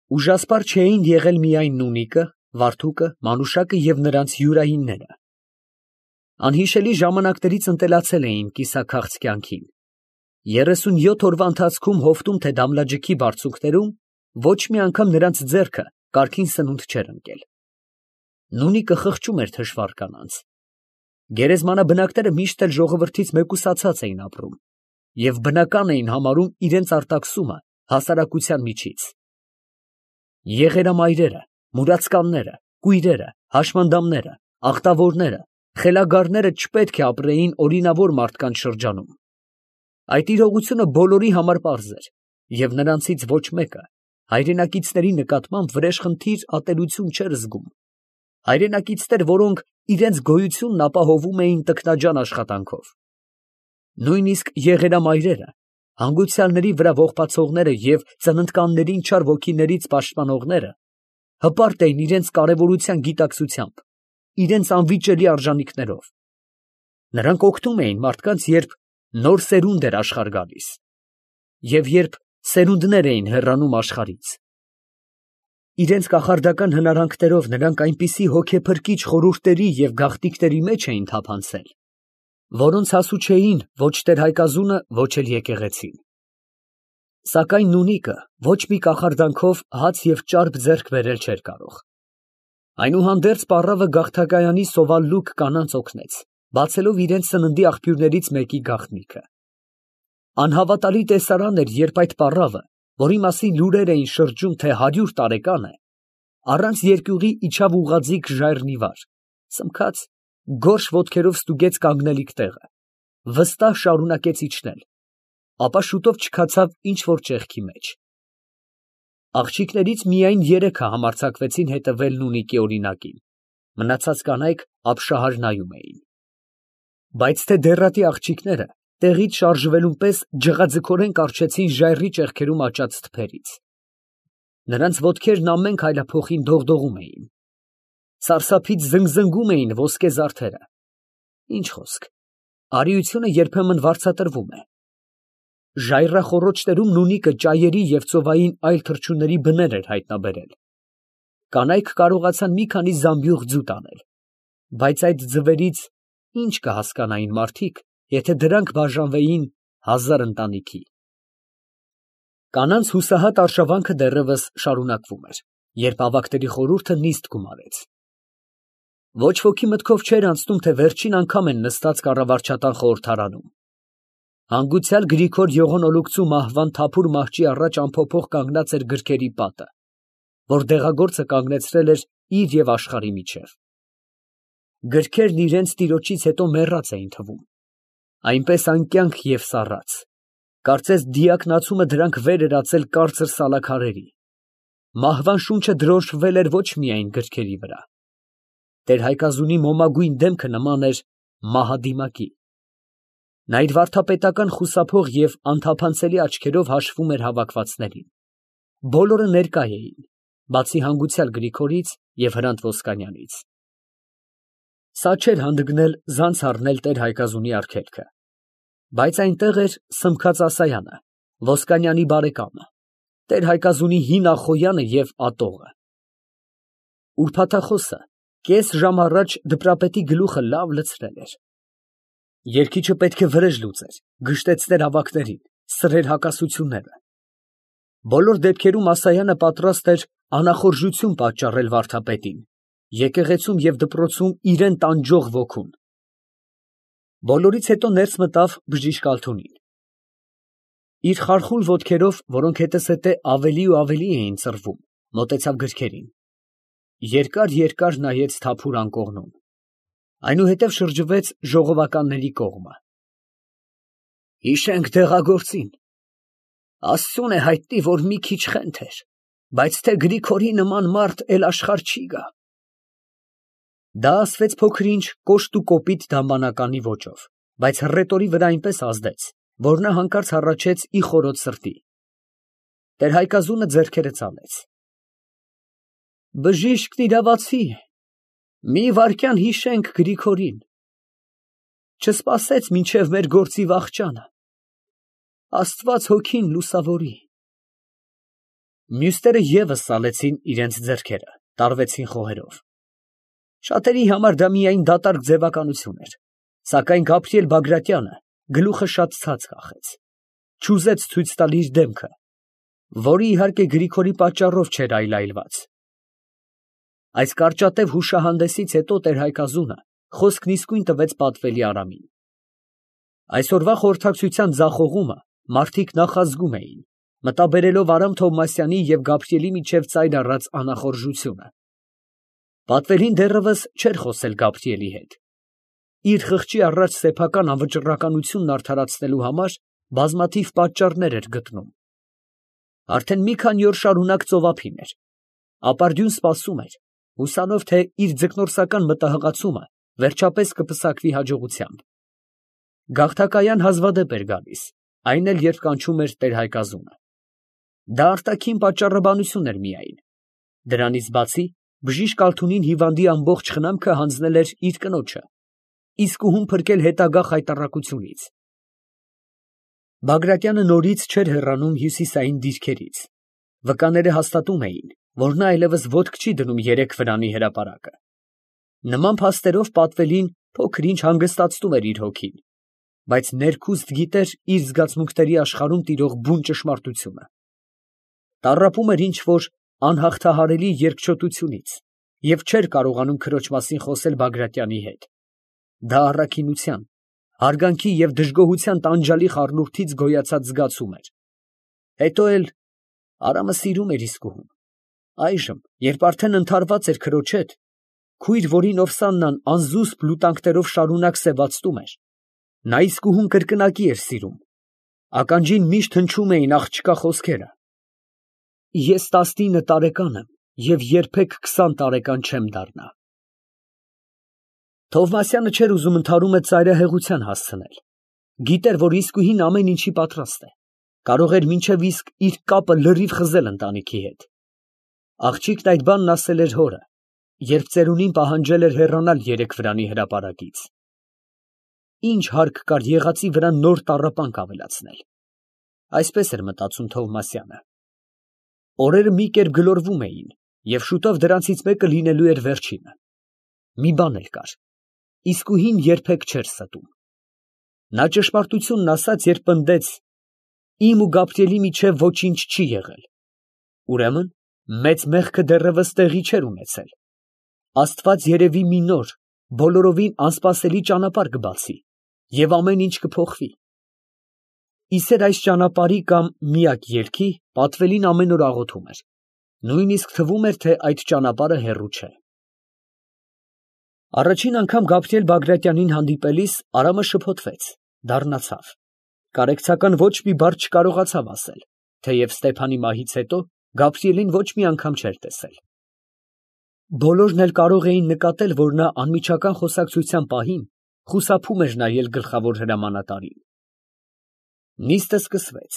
Ուժասպառ չէին եղել միայն Նունիկը, Վարդուկը, Մանուշակը և նրանց յուրայինները. անհիշելի ժամանակներից ընտելացել էին կիսաքաղց կյանքին. 37 օրվա ընթացքում հովտում թե դամլաջքի բարձունքներում ոչ մի անգամ նրանց ձեռքը կարգին սնունդ չէր ընկել. Նունիկը խղճում էր թշվառ կանանց. գերեզմանաբնակները միշտ էլ ժողովրդից մեկուսացած էին ապրում և բնական էին համարում իրենց արտաքսումը հասարակության միջից. եղերամայրերը, մուրացկանները, կույրերը, հաշմանդամները, աղտավորները, խելագարները չպետք է ապրեին օրինավոր մարդկանց շրջանում. այդ իրողությունը բոլորի համար պարզ էր, և նրանցից ոչ մեկը հայրենակիցների նկատմամբ վրեժխնդիր ատելություն չէր զգում, հայրենակիցներ, որոնք իրենց գոյությունն ապահովում էին տքնաջան աշխատանքով. նույնիսկ եղերամայրերը, հանգուցյալների վրա ողբացողները և ծննդկաններին չար ոգիներից պաշտպանողները հպարտ էին իրենց կարևորության գիտակցությամբ, իրենց անվիճելի արժանիքներով. նրանք օգնում էին մարդկանց, երբ նոր սերունդ էր աշխարհ գալիս, և երբ սերունդներ էին հեռանում աշխարհից. իրենց կախարդական հնարանքներով նրանք այնպիսի հոգեփրկիչ խորհուրդների և գաղտնիքների մեջ էին թափանցել, որոնց հասու չէին ոչ տեր֊Հայկազունը, ոչ էլ եկեղեցին. սակայն Նունիկը ոչ մի կախարդանքով հաց և ճարպ ձեռք բերել չէր կարող. այնուհանդերձ պառավը գաղթակայանի սովալլուկ կանանց օգնեց, բացելով իրենց սննդի աղբյուրներից մեկի գաղտնիքը. անհավատալի տեսարան էր, երբ այդ պառավը, որի մասին լուրեր էին շրջում, թե 100 տարեկան է, առանց երկյուղի իջավ ուղղաձիգ ժայռնի վար, սմքաց, գորշ ոտքերով ստուգեց կանգնելիք տեղը, վստահ շարունակեց իջնել, ապա շուտով չքացավ ինչ֊որ ճեղքի մեջ. աղջիկներից միայն 3-ը համարձակվեցին հետևել Նունիկի օրինակին, մնացած կանայք ապշահար նայում էին. բայց թե դեռատի աղջիկները տեղից շարժվելուն պես ջղաձգորեն կառչեցին ժայռի ճեղքերում աճած թփերից. նրանց ոտքերն ամեն քայլափոխին դողդողում էին, սարսափից զնգզնգում էին ոսկե զարդերը. ինչ խոսք, արիությունը երբեմն վարձատրվում է. ժայռախոռոչներում Նունիկը ճայերի և ծովային այլ թռչունների բներ էր հայտնաբերել. կանայք կարողացան մի քանի զամբյուղ ձուտ անել, բայց այդ ձվերից ի՞նչ կհասկանային մարդիկ, եթե դրանք բաժանվեին 1000 ընտանիքի։ Կանանց հուսահատ արշավանքը դեռևս շարունակվում էր, երբ ավագների խորհուրդը նիստ գումարեց. ոչ ոքի մտքով չէր անցնում, թե վերջին անգամ են նստած կառավարչական խորհրդարանում. հանգուցյալ Գրիգոր Յողոնոլուկցու մահվան թափուր մահճի առաջ անփոփոխ կանգնած էր գրքերի պատը, որ դեղագործը կանգնեցրել էր իր և աշխարհի միջև. գրքերն իրենց տիրոջից հետո մեռած էին թվում, այնպես անկյանք և սառած, կարծես դիակնացումը դրանք վեր էր ածել կարծր սալաքարերի. մահվան շունչը դրոշմվել էր ոչ միայն գրքերի վրա. տեր֊Հայկազունի մոմագույն դեմքը նման էր մահադիմակի. նա իր վարդապետական խուսափող և անթափանցելի աչքերով հաշվում էր հավաքվածներին. բոլորը ներկա էին, բացի հանգուցյալ Գրիգորից և Հրանտ Ոսկանյանից. սա չէր հանդգնել ձանց առնել տեր֊Հայկազունի արգելքը, բայց այնտեղ էր Սմքած Ասայանը, Ոսկանյանի բարեկամը, տեր֊Հայկազունի հին Ախոյանը և ատողը. ուրբաթախոսը կես ժամ առաջ դիպրապետի գլուխը լավ լցրել էր. երգիչը պետք է վրեժ լուծեր, գժտեցներ ավագներին, սրեր հակասությունները. բոլոր դեպքերում Ասայանը պատրաստ էր անախորժություն պատճառել վարդապետին, եկեղեցում և դպրոցում իրան տանջող ոգուն. բոլորից հետո ներս մտավ բժիշկ Ալթունին. իր խարխուլ ոտքերով, որոնք հետզհետե ավելի ու ավելի էին ծռվում, մոտեցավ գրքերին, երկար նայեց թափուր անկողնուն, այնուհետև շրջվեց ժողովականների կողմը. հիշենք դեղագործին, Աստծուն է հայտնի, որ մի քիչ խենթ էր, բայց թե Գրիգորի նման մարդ էլ աշխարհ չի գա։ Դա ասվեց փոքր-ինչ կոշտ ու կոպիտ դամբանականի ոճով, բայց հռետորի վրա այնպես ազդեց, որ նա հանկարծ հառաչեց ի խորոց սրտի. տեր֊Հայկազունը ձեռքերը ցավեց. բժիշկն իրավացի է, մի վայրկյան հիշենք Գրիգորին, չսպասեց մինչև մեր գործի վախճանը, Աստված հոգին լուսավորի։ Մյուսները ևս սալեցին իրենց ձեռքերը, տարվեցին խոհերով։ Շատերի համար դա միայն դատարկ ձևականություն էր, սակայն Գաբրիել Բագրատյանը գլուխը շատ ցած կախեց, չուզեց ցույց տալ իր դեմքը, որը իհարկե Գրիգորի պատճառով չէր այլայլված։ Այս կարճատև հուշահանդեսից հետո տեր-Հայկազունը խոսքն իսկույն տվեց պատվելի Արամին։ Այսօրվա խորհրդակցության ձախողումը մարդիկ նախազգում էին, մտաբերելով Արամ Թովմասյանի և Գաբրիելի միջև ծայր առած անախորժությունը։ Պատվերին դեռևս չէր խոսել Գաբրիելի հետ։ Իր խղճի առաջ սեփական անվճռականությունն արդարացնելու համար բազմաթիվ պատճառներ էր գտնում։ Արդեն մի քանի օր շարունակ ծովափին էր։ Ապարդյուն սպասում էր, հուսանով, թե իր ձկնորսական մտահղացումը վերջապես կպսակվի հաջողությամբ։ Գաղթակայան հազվադեպ էր գալիս, այն էլ երբ կանչում էր տեր-Հայկազունը։ Դա արտաքին պատճառաբանություն էր միայն։ Դրանից բացի, բժիշկ Ալթունին հիվանդի ամբողջ խնամքը հանձնել էր իր կնոջը, իսկուհուն փրկել հետագա խայտառակությունից։ Բագրատյանը նորից չէր հեռանում հյուսիսային դիրքերից։ Վկաները հաստատում էին, որ նա այլևս ոտք չի դնում երեք վրանի հրապարակը։ Նման փաստերով պատվելին փոքր-ինչ հանգստացնում էր իր հոգին, բայց ներքուստ գիտեր իր զգացմունքների աշխարհում տիրող բուն ճշմարտությունը։ Տառապում էր ինչ֊որ անհաղթահարելի երկչոտությունից և չէր կարողանում քրոջ մասին խոսել Բագրատյանի հետ։ Դա առաքինության, հարգանքի և դժգոհության տանջալի խառնուրդից գոյացած զգացում էր։ Հետո էլ Արամը սիրում էր իսկուհուն։ Այժմ, երբ արդեն ընդհարված էր քրոջ հետ, քույր, որին Օվսաննան անզուսպ լուտանքներով շարունակ սևացնում էր, նա իսկուհուն կրկնակի էր սիրում։ Ականջին միշտ հնչում էին աղջկա խոսքերը. «Ես 19 տարեկան եմ և երբեք 20 տարեկան չեմ դառնա»։ Թովմասյանը չէր ուզում ընդհարումը ծայրահեղության հասցնել։ Գիտեր, որ իսկուհին ամեն ինչի պատրաստ է, կարող էր մինչև իսկ իր կապը լրիվ խզել ընտանիքի հետ։ Աղջիկն այդ բանն ասել էր հորը, երբ ծերունին պահանջել էր հեռանալ երեք վրանի հրապարակից։ Ինչ հարկ կար եղածի վրա նոր տառապանք ավելացնել։ Այսպես էր մտածում Թովմասյանը։ Օրերը մի կերպ գլորվում էին, և շուտով դրանցից մեկը լինելու էր վերջինը։ Մի բան էլ կար. իսկուհին երբեք չէր ստում։ Նա ճշմարտությունն ասաց, երբ պնդեց. «Իմ ու Գաբրիելի միջև ոչինչ չի եղել»։ Ուրեմն, մեծ մեղքը դեռևս տեղի չէր ունեցել։ Աստված երևի մի նոր, բոլորովին անսպասելի ճանապարհ կբացի, և ամեն ինչ կփոխվի։ Իսեր այս ճանապարհի կամ միակ ելքի պատվելին ամեն օր աղոթում էր։ Նույնիսկ թվում էր, թե այդ ճանապարհը հեռու չէ։ Առաջին անգամ Գաբրիել Բագրատյանին հանդիպելիս Արամը շփոթվեց, դառնացավ։ Կարեկցական ոչ մի բառ չկարողացավ ասել, թեև Ստեփանի մահից հետո Գաբրիելին ոչ մի անգամ չէր տեսել։ Բոլորն էլ կարող էին նկատել, որ նա անմիջական խոսակցության պահին խուսափում էր նայել գլխավոր հրամանատարին։ Նիստը սկսվեց։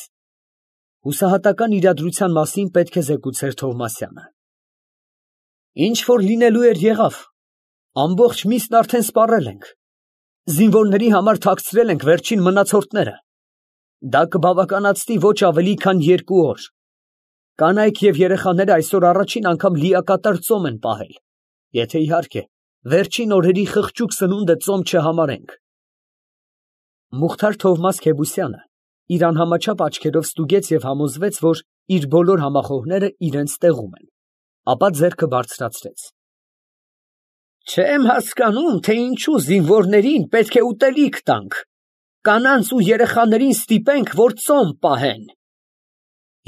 Հուսահատական իրադրության մասին պետք է զեկուցեր Թովմասյանը։ Ինչ որ լինելու էր եղավ, ամբողջ միսն արդեն սպառել ենք, զինվորների համար թաքցրել ենք վերջին մնացորդները։ Դա կբավականացնի ոչ ավելի քան 2 օր։ Կանայք և երեխաները այսօր առաջին անգամ լիակատար ծոմ են պահել, եթե իհարկե վերջին օրերի խղճուկ սնունդը ծոմ չհամարենք։ Մուխթար Թովմաս Քեբուսյանը իր անհամաչափ աչքերով ստուգեց և համոզվեց, որ իր բոլոր համախոհները իրենց տեղում են, ապա ձեռքը բարձրացրեց։ Չեմ հասկանում, թե ինչու զինվորներին պետք է ուտելիք տանք, կանանց ու երեխաներին ստիպենք, որ ծոմ պահեն։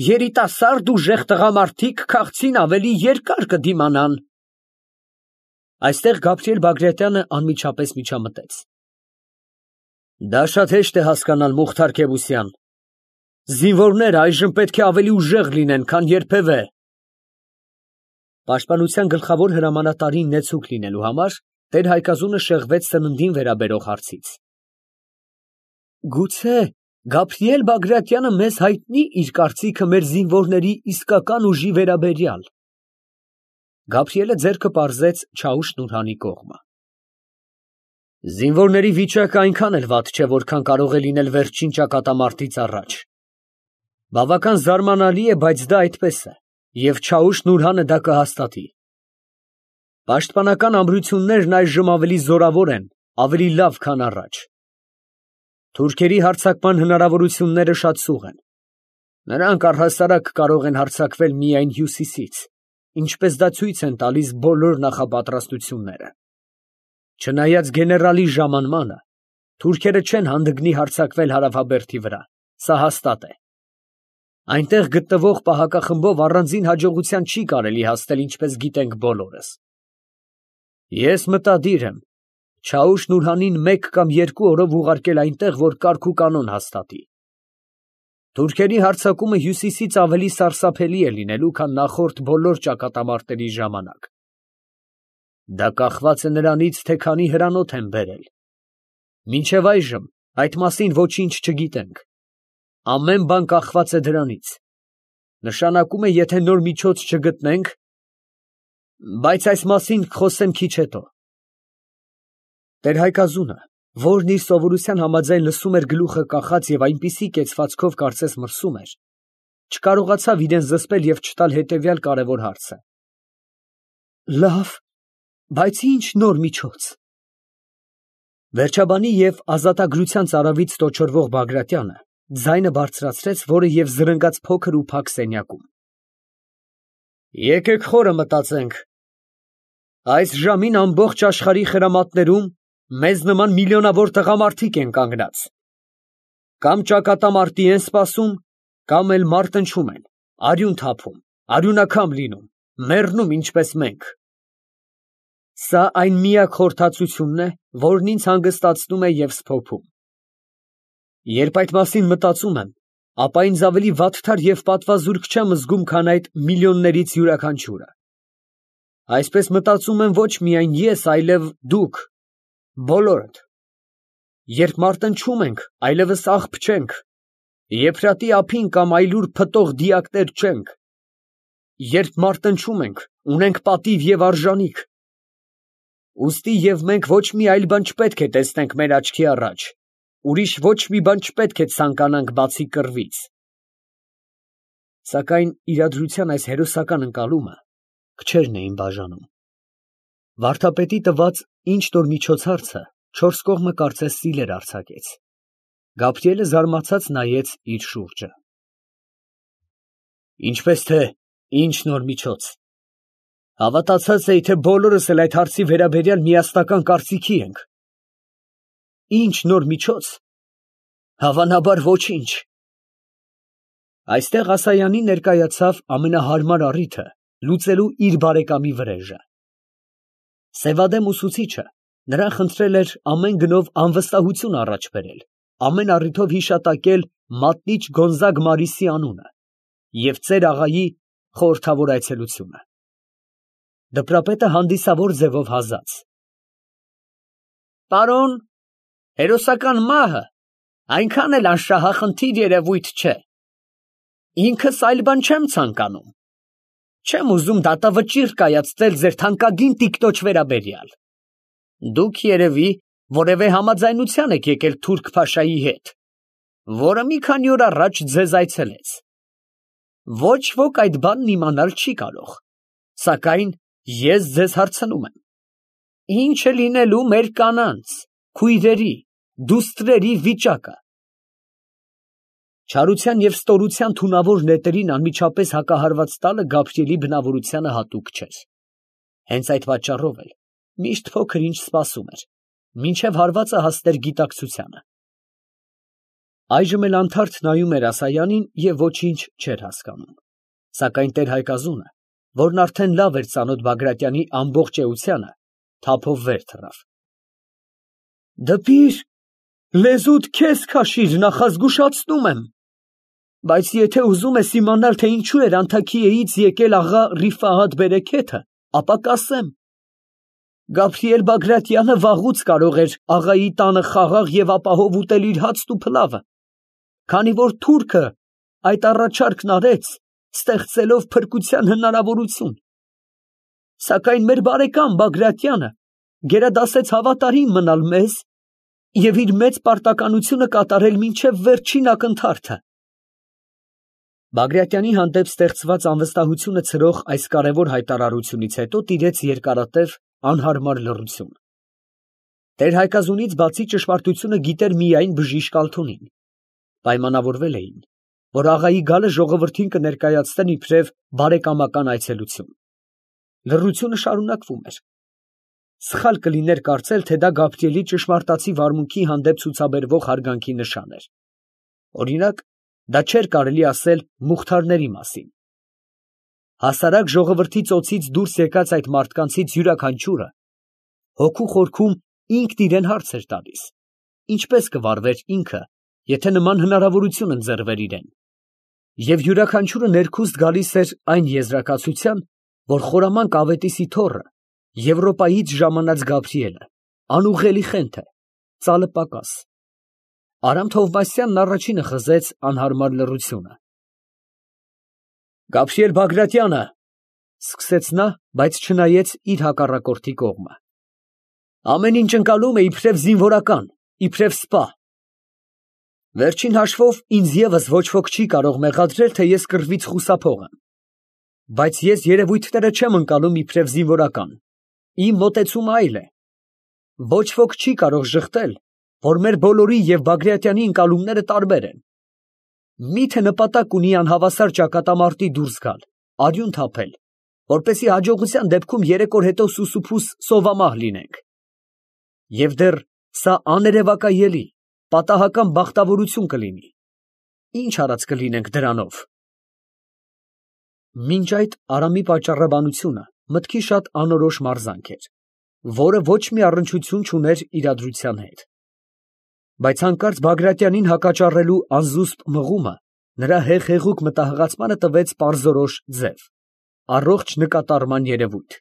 Երիտասարդ ուժեղ տղամարդիկ քաղցին ավելի երկար կդիմանան։ Այստեղ Գաբրիել Բագրատյանը անմիջապես միջամտեց. Դա շատ հեշտ է հասկանալ, Մուխթար Քեբուսյան։ Զինվորները այժմ պետք է ավելի ուժեղ լինեն, քան երբևէ։ Պաշտպանության գլխավոր հրամանատարին նեցուկ լինելու համար տեր-Հայկազունը շեղվեց սննդին վերաբերող հարցից։ Գուցե Գաբրիել Բագրատյանը մեզ հայտնի իր կարծիքը մեր զինվորների իսկական ուժի վերաբերյալ։ Գաբրիելը ձեռքը պարզեց Չաուշ Նուրհանի կողմը։ Զինվորների վիճակը այնքան էլ վատ չէ, որքան կարող է լինել վերջին ճակատամարտից առաջ։ Բավական զարմանալի է, բայց դա այդպես է։ Եվ Չաուշ Նուրհանը դա կհաստատի։ Պաշտպանական ամրություններն այժմ ավելի զորավոր են, ավելի լավ, քան առաջ։ Թուրքերի հարձակման հնարավորությունները շատ սուղ են։ Նրանք առհասարակ կարող են հարձակվել միայն հյուսիսից, ինչպես դա ցույց են տալիս բոլոր նախապատրաստությունները։ Չնայած գեներալի ժամանմանը, թուրքերը չեն հանդգնի հարձակվել հարավաբերդի վրա, սա հաստատ է։ Այնտեղ գտնվող պահակախմբով առանձին հաջողության չի կարելի հասնել, ինչպես գիտենք բոլորս։ Ես մտադիր եմ Չաուշ Նուրհանին 1 կամ 2 օրով ուղարկել այնտեղ, որ կարգ ու կանոն հաստատի։ Թուրքերի հարձակումը հյուսիսից ավելի սարսափելի է լինելու, քան նախորդ բոլոր ճակատամարտերի ժամանակ։ Դա կախված է նրանից, թե քանի հրանոթ են բերել։ Մինչև այժմ այդ մասին ոչինչ չգիտենք։ Ամեն բան կախված է դրանից։ Նշանակում է, եթե նոր միջոց չգտնենք, բայց այս մասին կխոսեմ քիչ հետո։ Տեր Հայկազունը, որն իր սովորության համաձայն լսում էր գլուխը կախած և այնպիսի կեցվածքով կարծես մրսում էր, չկարողացավ իրեն զսպել և չտալ հետևյալ կարևոր հարցը. Լավ, բայց ի՞նչ նոր միջոց։ Վերջաբանի և ազատագրության ծարավից տոչորվող Բագրատյանը ձայնը բարձրացրեց, որը և զրնգաց փոքր ու փակ սենյակում։ Եկեք խորը մտածենք։ Այս ժամին ամբողջ աշխարհի խրամատներում մեզ նման միլիոնավոր տղամարդիկ են կանգնած։ Կամ ճակատամարտի են սպասում, կամ էլ մարտնչում են, արյուն թափում, արյունակամ լինում, մեռնում ինչպես մենք։ Սա այն միակ խորհրդածությունն է, որն ինձ հանգստացնում է և սփոփում։ Երբ այդ մասին մտածում եմ, ապա ինձ ավելի վատթար և պատվազուրկ չեմ զգում, քան այդ միլիոններից յուրաքանչյուրը։ Այսպես մտածում եմ ոչ միայն ես, այլև դուք, բոլորդ։ Երբ մարտնչում ենք, այլևս աղբ չենք, եփրատի ափին կամ այլուր փտող դիակներ չենք։ Երբ մարտնչում ենք, ունենք պատիվ և արժանիք։ Ուստի և մենք ոչ մի այլ բան չպետք է տեսնենք մեր աչքի առաջ, ուրիշ ոչ մի բան չպետք է ցանկանանք բացի կռվից։ Սակայն իրադրության այս հերոսական ընկալումը քչերն էին բաժանում։ Վարդապետի տված ինչ֊որ միջոցառցը 4 կողմը կարծես սիլեր արձակեց։ Գաբրիելը զարմացած նայեց իր շուրջը։ Ինչպես թե ինչ նոր միջոց։ Հավատացած էի, թե բոլորս էլ այդ հարցի վերաբերյալ միասնական կարծիքի ենք։ Ինչ նոր միջոց։ Հավանաբար ոչինչ։ Այստեղ Ասայանին ներկայացավ ամենահարմար առիթը լուծելու իր բարեկամի վրեժը։ Սևադեմ ուսուցիչը նրան խնդրել էր ամեն գնով անվստահություն առաջ բերել, ամեն առիթով հիշատակել մատնիչ Գոնզագ Մարիսի անունը և ծեր աղայի խորհրդավոր այցելությունը։ Դպրապետը հանդիսավոր ձևով հազաց։ Պարոն, հերոսական մահը այնքան էլ անշահախնդիր երևույթ չէ։ Ինքս այլ բան չեմ ցանկանում։ Չեմ ուզում դատավճիռ կայացնել ձեր թանկագին տիկնոջ վերաբերյալ։ Դուք երևի որևէ համաձայնության եք եկել թուրք փաշայի հետ, որը մի քանի օր առաջ ձեզ այցելեց։ Ոչ ոք այդ բանն իմանալ չի կարող, սակայն ես ձեզ հարցնում եմ. ինչ է լինելու մեր կանանց, քույրերի, դուստրերի վիճակը։ Չարության և ստորության թունավոր նետերին անմիջապես հակահարված տալը Գաբրիելի բնավորությանը հատուկ չէր։ Հենց այդ պատճառով էլ միշտ փոքր ինչ սպասում էր, մինչև հարվածը հասներ գիտակցությանը։ Այժմ էլ անթարթ նայում էր Ասայանին և ոչինչ չէր հասկանում։ Սակայն տեր Հայկազունը, որն արդեն լավ էր ծանոթ Բագրատյանի ամբողջ էությանը, թափով վեր թռավ։ Դպիր, լեզուդ քեզ քաշիր, նախազգուշացնում եմ։ Բայց եթե ուզում ես իմանալ, թե ինչու էր Անթաքիեից եկել աղա Ռիֆահաթ Բերեքեթը, ապա կասեմ. Գաբրիել Բագրատյանը վաղուց կարող էր աղայի տանը խաղաղ և ապահով ուտել իր հացն ու փլավը, քանի որ թուրքը այդ առաջարկն արեց, ստեղծելով փրկության հնարավորություն։ Սակայն մեր բարեկամ Բագրատյանը գերադասեց հավատարիմ մնալ մեզ և իր մեծ պարտականությունը կատարել մինչև վերջին ակնթարթը։ Բագրատյանի հանդեպ ստեղծված անվստահությունը ցրող այս կարևոր հայտարարությունից հետո տիրեց երկարատև անհարմար լռություն։ Տեր-Հայկազունից բացի ճշմարտությունը գիտեր միայն բժիշկ Ալթունին։ Պայմանավորվել էին, որ աղայի գալը ժողովրդին կներկայացնեն իբրև բարեկամական այցելություն։ Լռությունը շարունակվում էր։ Սխալ կլիներ կարծել, թե դա Գաբրիելի ճշմարտացի վարմունքի հանդեպ ցուցաբերվող հարգանքի նշան էր։ Օրինակ, դա չէր կարելի ասել Մուխթարների մասին։ Հասարակ ժողովրդի ծոցից դուրս եկած այդ մարդկանցից յուրաքանչյուրը հոգու խորքում ինքն իրեն հարց էր տալիս. ինչպես կվարվեր ինքը, եթե նման հնարավորություն ընձեռվեր իրեն։ Եվ յուրաքանչյուրը ներքուստ գալիս էր այն եզրակացության, որ խորամանկ Ավետիսի թոռը, Եվրոպայից ժամանած Գաբրիելը, անուղղելի խենթ է, ծալը պակաս։ Արամ Թովմասյանն առաջինը խզեց անհարմար լռությունը։ Գաբրիել Բագրատյանը, ֊ սկսեց նա, բայց չնայեց իր հակառակորդի կողմը, ամեն ինչ ընկալում է իբրև զինվորական, իբրև սպա։ Վերջին հաշվով ինձ ևս ոչ ոք չի կարող մեղադրել, թե ես կռվից խուսափող եմ, բայց ես երևույթները չեմ ընկալում իբրև զինվորական, իմ մոտեցումը այլ է։ Ոչ ոք չի կարող ժխտել, որ մեր բոլորի և Բագրատյանի ընկալումները տարբեր են։ Միթե նպատակ ունի անհավասար ճակատամարտի դուրս գալ, արյուն թափել, որպեսզի հաջողության դեպքում 3 օր հետո սուսուփուս սովամահ լինենք։ Եվ դեռ սա աներևակայելի, պատահական բախտավորություն կլինի։ Ինչ արած կլինենք դրանով։ Մինչ այդ Արամի պատճառաբանությունը մտքի շատ անորոշ մարզանք էր, որը ոչ մի առնչություն չուներ իրադրության հետ։ Բայց հանկարծ Բագրատյանին հակաճառելու անզուսպ մղումը նրա հեղեղուկ մտահղացմանը տվեց պարզորոշ ձև, առողջ նկատառման երևույթ։